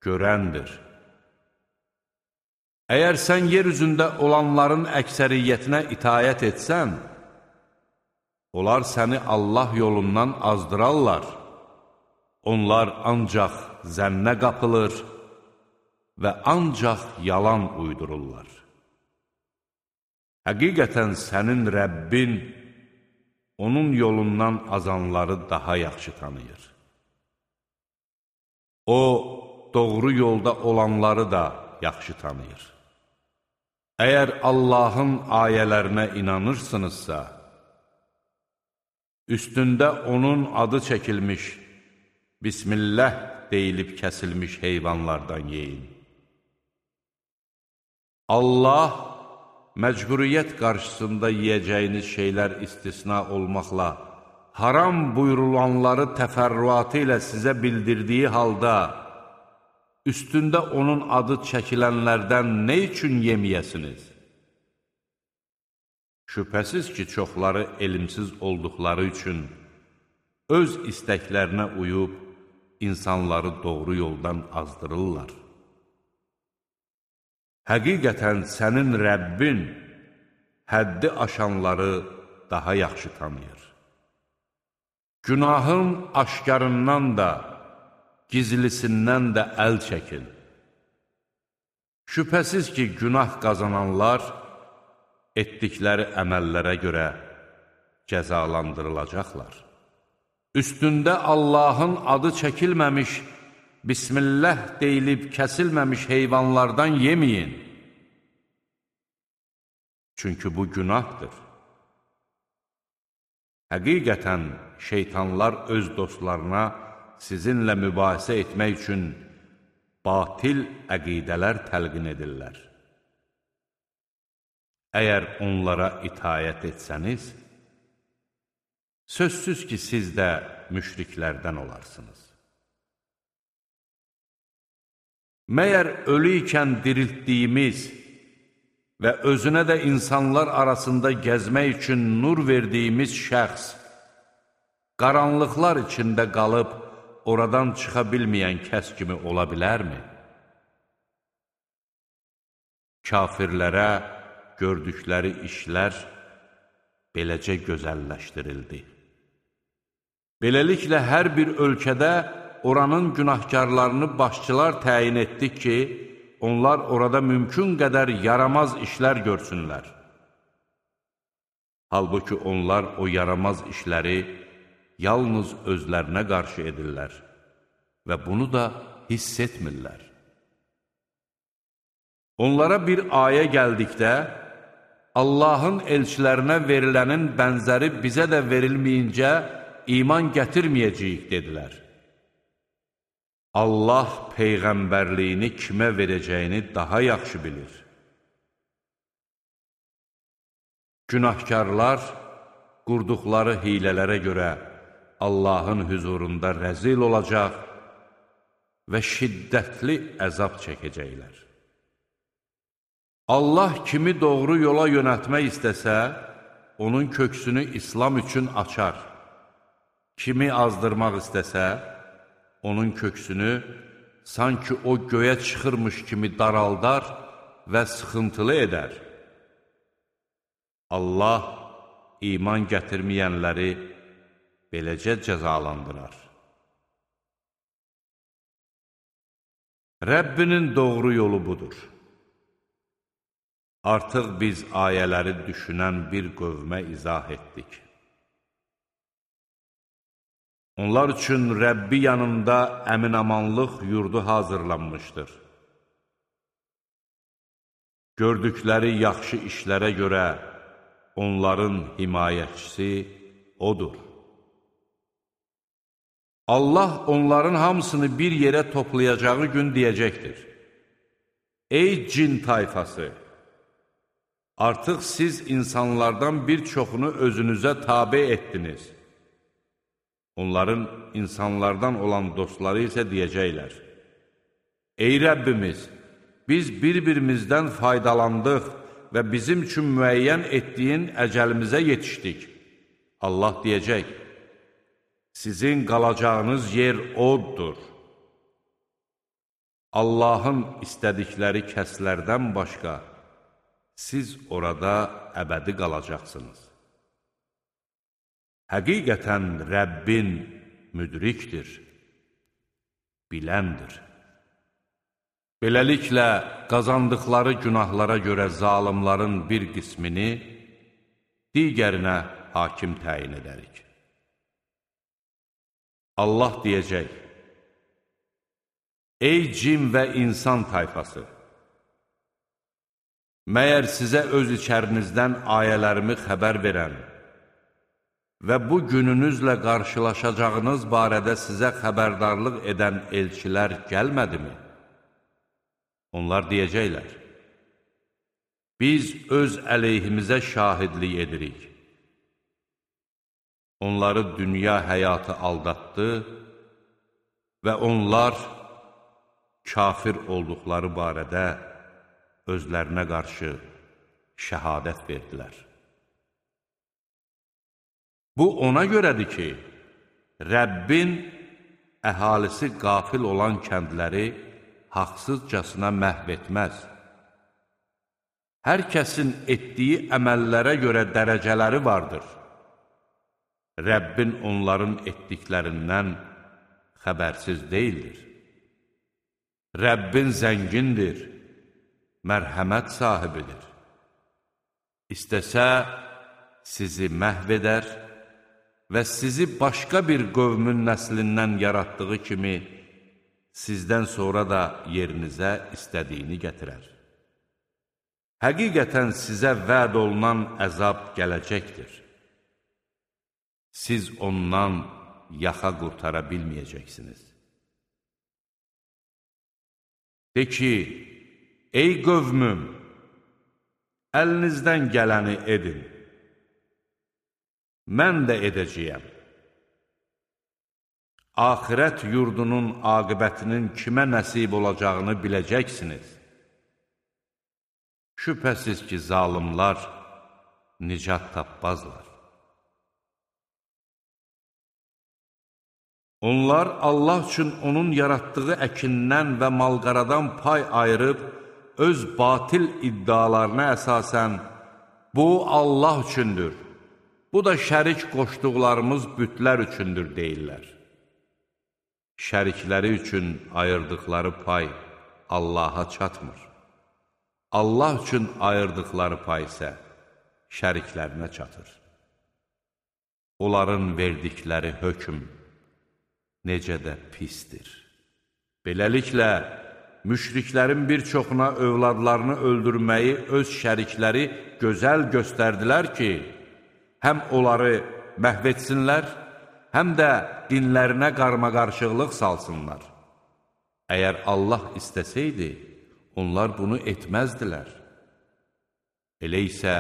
Speaker 1: görəndir. Əgər sən yer üzündə olanların əksəriyyətinə itayət etsən, onlar səni Allah yolundan azdırarlar. Onlar ancaq zənnə qapılır və ancaq yalan uydururlar. Həqiqətən sənin Rəbbin onun yolundan azanları daha yaxşı tanıyır. O, doğru yolda olanları da yaxşı tanıyır. Əgər Allahın ayələrinə inanırsınızsa, üstündə onun adı çəkilmiş, Bismillah deyilib kəsilmiş heyvanlardan yeyin. Allah, məcburiyyət qarşısında yiyəcəyiniz şeylər istisna olmaqla, haram buyurulanları təfərrüatı ilə sizə bildirdiyi halda, üstündə onun adı çəkilənlərdən nə üçün yemiyəsiniz? Şübhəsiz ki, çoxları elmsiz olduqları üçün öz istəklərinə uyub, insanları doğru yoldan azdırırlar. Həqiqətən sənin Rəbbin həddi aşanları daha yaxşı tanıyır. Günahın aşkarından da, gizlisindən də əl çəkin. Şübhəsiz ki, günah qazananlar etdikləri əməllərə görə cəzalandırılacaqlar. Üstündə Allahın adı çəkilməmiş, Bismillah deyilib kəsilməmiş heyvanlardan yeməyin. Çünki bu günahdır. Həqiqətən şeytanlar öz dostlarına sizinlə mübahisə etmək üçün batil əqidələr təlqin edirlər. Əgər onlara itayət etsəniz, sözsüz ki, siz də müşriklərdən olarsınız. Məyər ölü ikən diriltdiyimiz və özünə də insanlar arasında gəzmək üçün nur verdiyimiz şəxs, qaranlıqlar içində qalıb, oradan çıxa bilməyən kəs kimi ola bilərmi? Kafirlərə gördükləri işlər beləcə gözəlləşdirildi. Beləliklə, hər bir ölkədə oranın günahkarlarını başçılar təyin etdik ki, onlar orada mümkün qədər yaramaz işlər görsünlər. Halbuki onlar o yaramaz işləri yalnız özlərinə qarşı edirlər və bunu da hiss etmirlər. Onlara bir ayə gəldikdə, Allahın elçilərinə verilənin bənzəri bizə də verilməyincə iman gətirməyəcəyik, dedilər. Allah peyğəmbərliyini kimə verəcəyini daha yaxşı bilir. Günahkarlar qurduqları hilələrə görə Allahın hüzurunda rəzil olacaq və şiddətli əzab çəkəcəklər. Allah kimi doğru yola yönəltmək istəsə, onun köksünü İslam üçün açar. Kimi azdırmaq istəsə, onun köksünü sanki o göyə çıxırmış kimi daraldar və sıxıntılı edər. Allah iman gətirməyənləri beləcə cəzalandırar. Rəbbinin doğru yolu budur. Artıq biz ayələri düşünən bir qövmə izah etdik. Onlar üçün Rəbbi yanında əmin-amanlıq yurdu hazırlanmışdır. Gördükləri yaxşı işlərə görə onların himayəçisi odur. Allah onların hamısını bir yerə toplayacağı gün deyəcəkdir. Ey cin tayfası! Artıq siz insanlardan bir çoxunu özünüzə tabe etdiniz. Onların insanlardan olan dostları isə deyəcəklər. Ey Rəbbimiz! Biz bir-birimizdən faydalandıq və bizim üçün müəyyən etdiyin əcəlimizə yetişdik. Allah deyəcək, sizin qalacağınız yer oddur. Allahın istədikləri kəslərdən başqa, siz orada əbədi qalacaqsınız. Həqiqətən Rəbbin müdrikdir, biləndir. Beləliklə, qazandıqları günahlara görə zalimların bir qismini digərinə hakim təyin edərik. Allah deyəcək, ey cin və insan tayfası! Məyər sizə öz içərinizdən ayələrimi xəbər verən və bu gününüzlə qarşılaşacağınız barədə sizə xəbərdarlıq edən elçilər gəlmədimi? Onlar deyəcəklər, biz öz əleyhimizə şahidlik edirik. Onları dünya həyatı aldatdı və onlar kafir olduqları barədə özlərinə qarşı şəhadət verdilər. Bu ona görədir ki, Rəbbin əhalisi qafil olan kəndləri haqsızcasına məhv etməz. Hər kəsin etdiyi əməllərə görə dərəcələri vardır. Rəbbin onların etdiklərindən xəbərsiz deyildir. Rəbbin zəngindir, mərhəmət sahibidir. İstəsə, sizi məhv edər və sizi başqa bir qövmün nəslindən yaratdığı kimi, sizdən sonra da yerinizə istədiyini gətirər. Həqiqətən sizə vəd olunan əzab gələcəkdir. Siz ondan yaxa qurtara bilməyəcəksiniz. De ki, ey qövmüm, əlinizdən gələni edin. Mən də edəcəyəm. Axirət yurdunun aqibətinin kimə nəsib olacağını biləcəksiniz. Şübhəsiz ki, zalimlar nicat tapmazlar. Onlar Allah üçün onun yaratdığı əkindən və malqaradan pay ayırıb, öz batil iddialarına əsasən, bu Allah üçündür, bu da şərik qoşduqlarımız bütlər üçündür deyirlər. Şərikləri üçün ayırdıqları pay Allaha çatmır. Allah üçün ayırdıqları pay isə şəriklərinə çatır. Onların verdikləri hökm necə də pisdir. Beləliklə, müşriklərin bir çoxuna övladlarını öldürməyi öz şərikləri gözəl göstərdilər ki, həm onları məhv etsinlər, həm də dinlərinə qarmaqarışıqlıq salsınlar. Əgər Allah istəsəydi, onlar bunu etməzdilər. Elə isə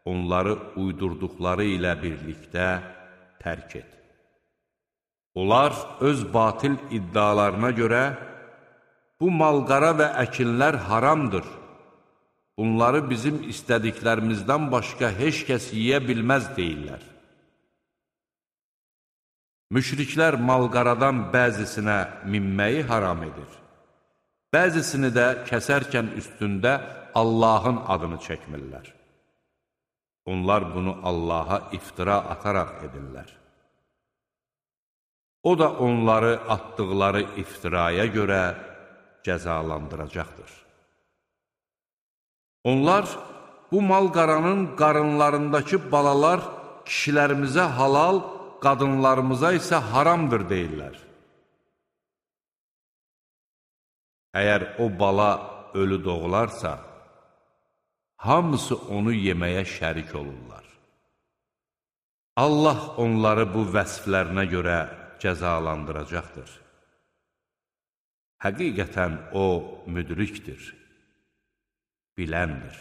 Speaker 1: onları uydurduqları ilə birlikdə tərk et. Onlar öz batil iddialarına görə, bu malqara və əkinlər haramdır. Bunları bizim istədiklərimizdən başqa heç kəs yeyə bilməz deyirlər. Müşriklər malqaradan bəzisinə minməyi haram edir. Bəzisini də kəsərkən üstündə Allahın adını çəkmirlər. Onlar bunu Allaha iftira ataraq edirlər. O da onları atdıqları iftiraya görə cəzalandıracaqdır. Onlar bu malqaranın qarınlarındakı balalar kişilərimizə halal, qadınlarımıza isə haramdır deyirlər. Əgər o bala ölü doğularsa, hamısı onu yeməyə şərik olurlar. Allah onları bu vəsflərinə görə cəzalandıracaqdır. Həqiqətən o müdrikdir, biləndir.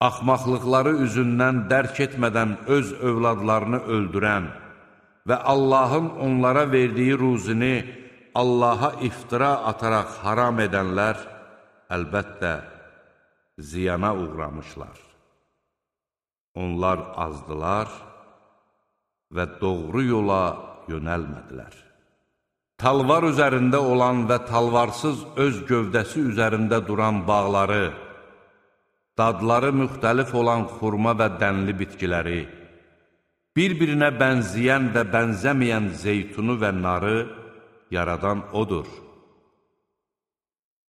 Speaker 1: Axmaqlıqları üzündən dərk etmədən öz övladlarını öldürən və Allahın onlara verdiyi ruzini Allaha iftira ataraq haram edənlər əlbəttə ziyana uğramışlar. Onlar azdılar və doğru yola yönəlmədilər. Talvar üzərində olan və talvarsız öz gövdəsi üzərində duran bağları, dadları müxtəlif olan xurma və dənli bitkiləri, bir-birinə bənzəyən və bənzəməyən zeytunu və narı yaradan odur.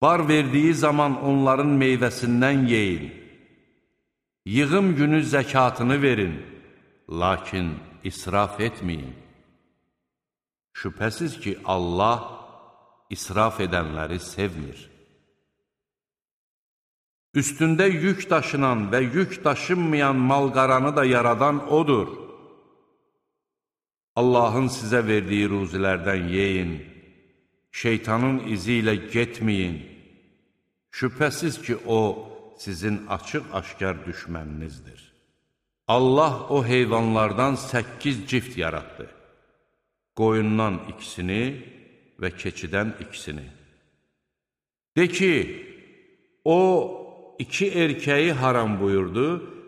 Speaker 1: Bar verdiyi zaman onların meyvəsindən yeyin, yığım günü zəkatını verin, lakin israf etməyin. Şübhəsiz ki, Allah israf edənləri sevmir. Üstündə yük daşınan və yük daşınmayan malqaranı da yaradan odur. Allahın sizə verdiyi ruzilərdən yeyin, şeytanın izi ilə getməyin. Şübhəsiz ki, o sizin açıq-aşkar düşməninizdir. Allah o heyvanlardan 8 cift yaratdı. Qoyundan ikisini və keçidən ikisini. De ki, o 2 erkəyi haram buyurdu,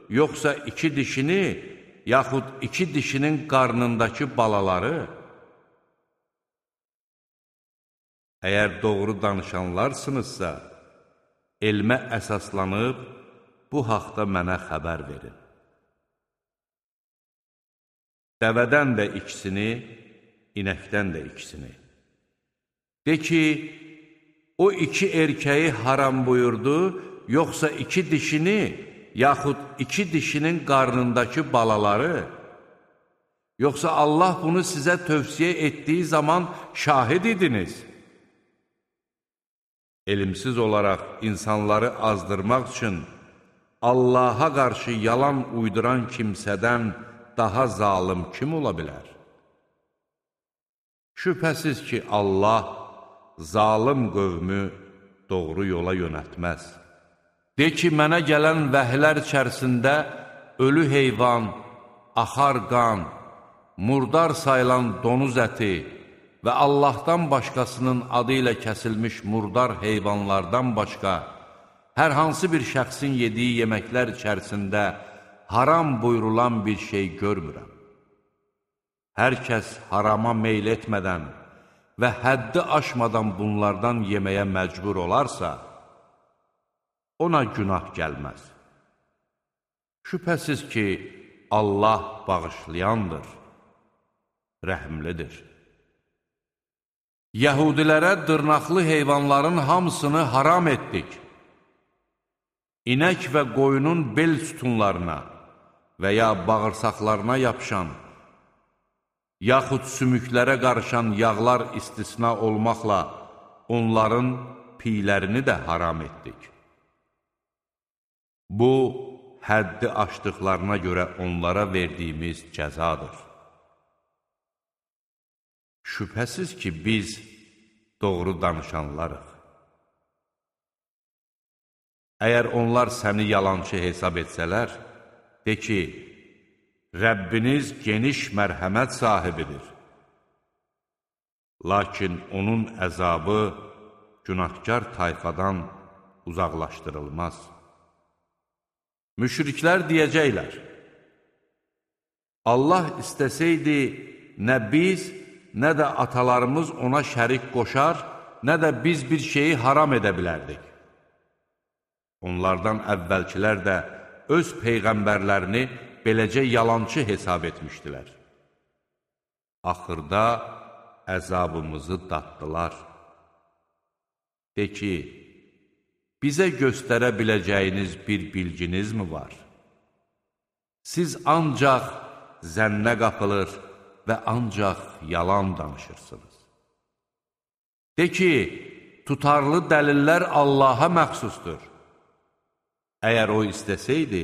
Speaker 1: yoxsa 2 dişini, yaxud 2 dişinin qarnındakı balaları? Əgər doğru danışanlarsınızsa, elmə əsaslanıb, bu haqda mənə xəbər verin. Dəvədən də ikisini, inəkdən də ikisini. De ki, o 2 erkəyi haram buyurdu, yoxsa 2 dişini, yaxud 2 dişinin qarnındakı balaları? Yoxsa Allah bunu sizə tövsiyə etdiyi zaman şahid idiniz? Elmsiz olaraq insanları azdırmaq üçün Allaha qarşı yalan uyduran kimsədən daha zalım kim ola bilər? Şübhəsiz ki, Allah zalım qövmü doğru yola yönəltməz. De ki, mənə gələn vəhlər içərisində ölü heyvan, axar qan, murdar sayılan donuz əti və Allahdan başqasının adı ilə kəsilmiş murdar heyvanlardan başqa hər hansı bir şəxsin yediyi yeməklər içərisində haram buyurulan bir şey görmürəm. Hər kəs harama meyl etmədən və həddi aşmadan bunlardan yeməyə məcbur olarsa, ona günah gəlməz. Şübhəsiz ki, Allah bağışlayandır, rəhimlidir. Yəhudilərə dırnaqlı heyvanların hamısını haram etdik. İnək və qoyunun bel sütunlarına və ya bağırsaqlarına yapışan, yaxud sümüklərə qarışan yağlar istisna olmaqla onların piylərini də haram etdik. Bu, həddi aşdıqlarına görə onlara verdiyimiz cəzadır. Şübhəsiz ki, biz doğru danışanlarıq. Əgər onlar səni yalançı hesab etsələr, de ki, Rəbbiniz geniş mərhəmət sahibidir. Lakin onun əzabı günahkar tayfadan uzaqlaşdırılmaz. Müşriklər deyəcəklər, Allah istəsəydi, nə biz, nə də atalarımız ona şərik qoşar, nə də biz bir şeyi haram edə bilərdik. Onlardan əvvəlkilər də öz peyğəmbərlərini beləcə yalançı hesab etmişdilər. Axırda əzabımızı daddılar. De ki, bizə göstərə biləcəyiniz bir bilginiz mi var? Siz ancaq zənnə qapılır və ancaq yalan danışırsınız. De ki, tutarlı dəlillər Allaha məxsusdur. Əgər o istəsəydi,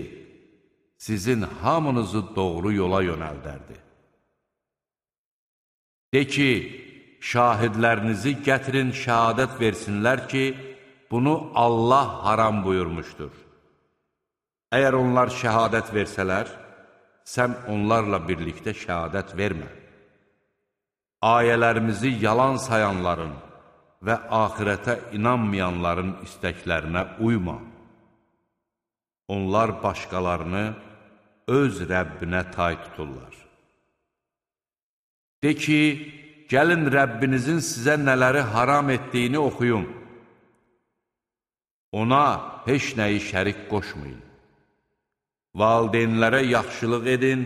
Speaker 1: sizin hamınızı doğru yola yönəldərdi. De ki, şahidlərinizi gətirin, şəhadət versinlər ki, bunu Allah haram buyurmuşdur. Əgər onlar şəhadət versələr, sən onlarla birlikdə şəhadət vermə. Ayələrimizi yalan sayanların və axirətə inanmayanların istəklərinə uyma. Onlar başqalarını öz Rəbbinə tay tuturlar. De ki, gəlin Rəbbinizin sizə nələri haram etdiyini oxuyun. Ona heç nəyi şərik qoşmayın. Valideynlərə yaxşılıq edin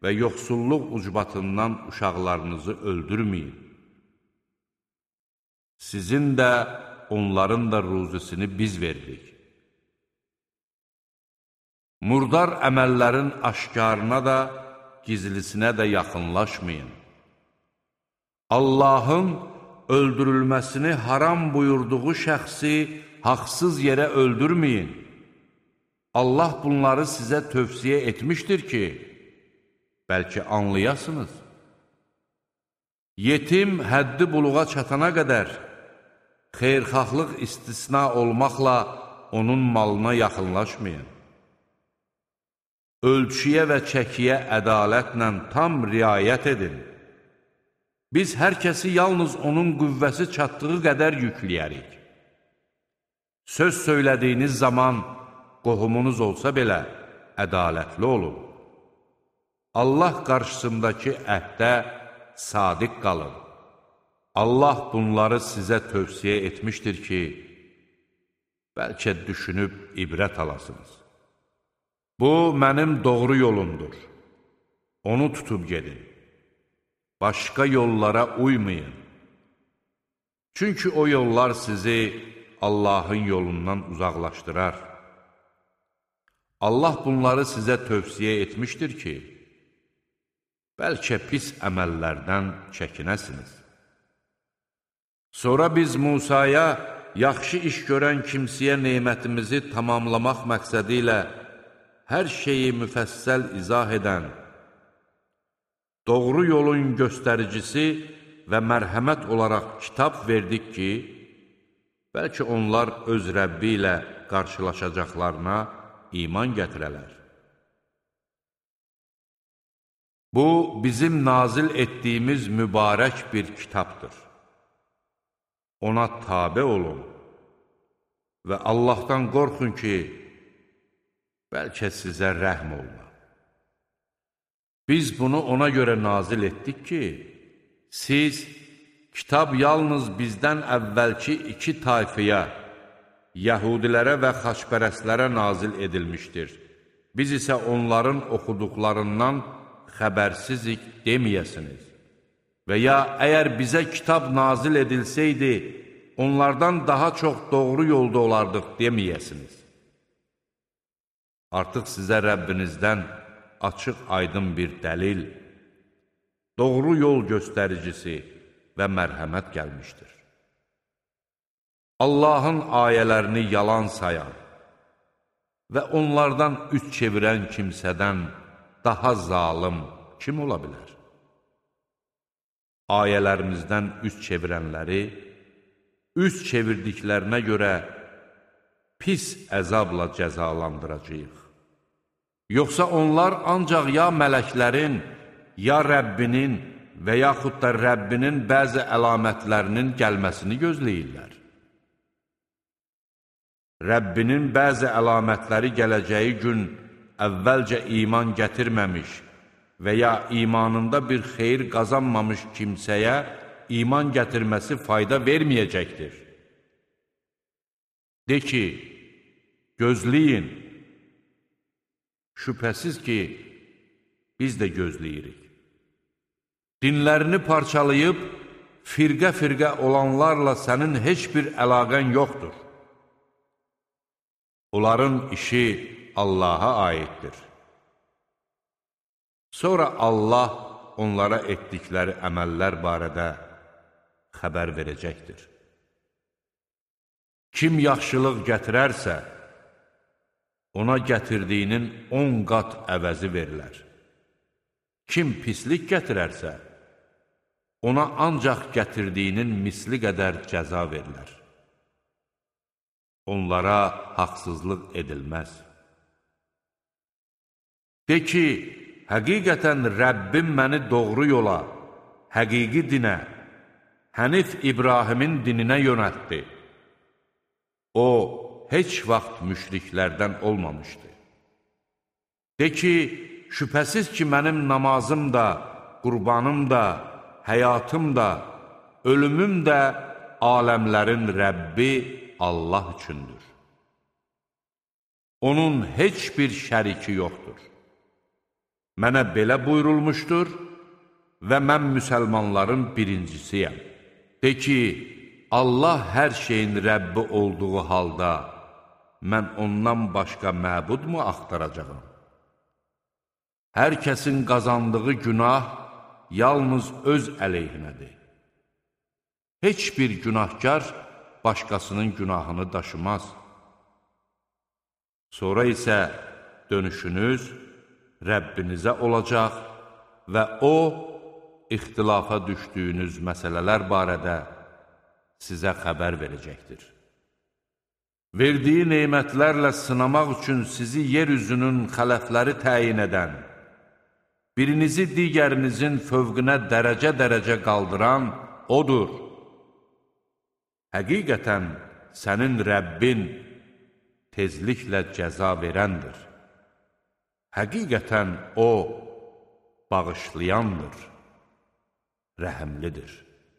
Speaker 1: və yoxsulluq ucbatından uşaqlarınızı öldürməyin. Sizin də, onların da ruzisini biz veririk. Murdar əməllərin aşkarına da, gizlisinə də yaxınlaşmayın. Allahın öldürülməsini haram buyurduğu şəxsi haqsız yerə öldürməyin. Allah bunları sizə tövsiyə etmişdir ki, bəlkə anlayasınız. Yetim həddi buluğa çatana qədər, xeyrxahlıq istisna olmaqla onun malına yaxınlaşmayın. Ölçüyə və çəkiyə ədalətlə tam riayət edin. Biz hər kəsi yalnız onun qüvvəsi çatdığı qədər yükləyərik. Söz söylədiyiniz zaman qohumunuz olsa belə ədalətli olun. Allah qarşısındakı əhdə sadiq qalın. Allah bunları sizə tövsiyə etmişdir ki, bəlkə düşünüb ibrət alasınız. Bu, mənim doğru yolumdur. Onu tutub gedin. Başqa yollara uymayın. Çünki o yollar sizi Allahın yolundan uzaqlaşdırar. Allah bunları sizə tövsiyə etmişdir ki, bəlkə pis əməllərdən çəkinəsiniz. Sonra biz Musaya yaxşı iş görən kimsəyə nemətimizi tamamlamaq məqsədi ilə hər şeyi müfəssəl izah edən, doğru yolun göstəricisi və mərhəmət olaraq kitab verdik ki, bəlkə onlar öz Rəbbi ilə qarşılaşacaqlarına iman gətirələr. Bu, bizim nazil etdiyimiz mübarək bir kitabdır. Ona tabe olun və Allahdan qorxun ki, bəlkə sizə rəhm oluna. Biz bunu ona görə nazil etdik ki, siz kitab yalnız bizdən əvvəlki iki tayfaya, Yəhudilərə və xaçpərəstlərə nazil edilmişdir. Biz isə onların oxuduqlarından xəbərsizik deməyəsiniz. Və ya əgər bizə kitab nazil edilsəydi, onlardan daha çox doğru yolda olardıq deməyəsiniz. Artıq sizə Rəbbinizdən açıq aydın bir dəlil, doğru yol göstəricisi və mərhəmət gəlmişdir. Allahın ayələrini yalan sayan və onlardan üz çevirən kimsədən daha zalım kim ola bilər? Ayələrimizdən üz çevirənləri, üz çevirdiklərinə görə pis əzabla cəzalandıracağıq. Yoxsa onlar ancaq ya mələklərin, ya Rəbbinin və yaxud da Rəbbinin bəzi əlamətlərinin gəlməsini gözləyirlər. Rəbbinin bəzi əlamətləri gələcəyi gün əvvəlcə iman gətirməmiş və ya imanında bir xeyir qazanmamış kimsəyə iman gətirməsi fayda verməyəcəkdir. De ki, gözləyin, şübhəsiz ki, biz də gözləyirik. Dinlərini parçalayıb, firqə-firqə olanlarla sənin heç bir əlaqən yoxdur. Onların işi Allaha aiddir. Sonra Allah onlara etdikləri əməllər barədə xəbər verəcəkdir. Kim yaxşılıq gətirərsə, ona gətirdiyinin 10 qat əvəzi verilər. Kim pislik gətirərsə, ona ancaq gətirdiyinin misli qədər cəza verilər. Onlara haqsızlıq edilməz. De ki, həqiqətən Rəbbim məni doğru yola, həqiqi dinə, Hənif İbrahimin dininə yönəltdi. O, heç vaxt müşriklərdən olmamışdı. De ki, şübhəsiz ki, mənim namazım da, qurbanım da, həyatım da, ölümüm də aləmlərin Rəbbi Allah üçündür. Onun heç bir şəriki yoxdur. Mənə belə buyurulmuşdur və mən müsəlmanların birincisiyəm. De ki, Allah hər şeyin Rəbbi olduğu halda, mən ondan başqa məbudmu axtaracağım? Hər kəsin qazandığı günah yalnız öz əleyhinədir. Heç bir günahkar başqasının günahını daşımaz. Sonra isə dönüşünüz Rəbbinizə olacaq və O, ixtilafa düşdüyünüz məsələlər barədə sizə xəbər verəcəkdir. Verdiyi neymətlərlə sınamaq üçün sizi yeryüzünün xələfləri təyin edən, birinizi digərinizin fövqünə dərəcə-dərəcə qaldıran O'dur. Həqiqətən sənin Rəbbin tezliklə cəza verəndir. Həqiqətən O, bağışlayandır, rəhəmlidir.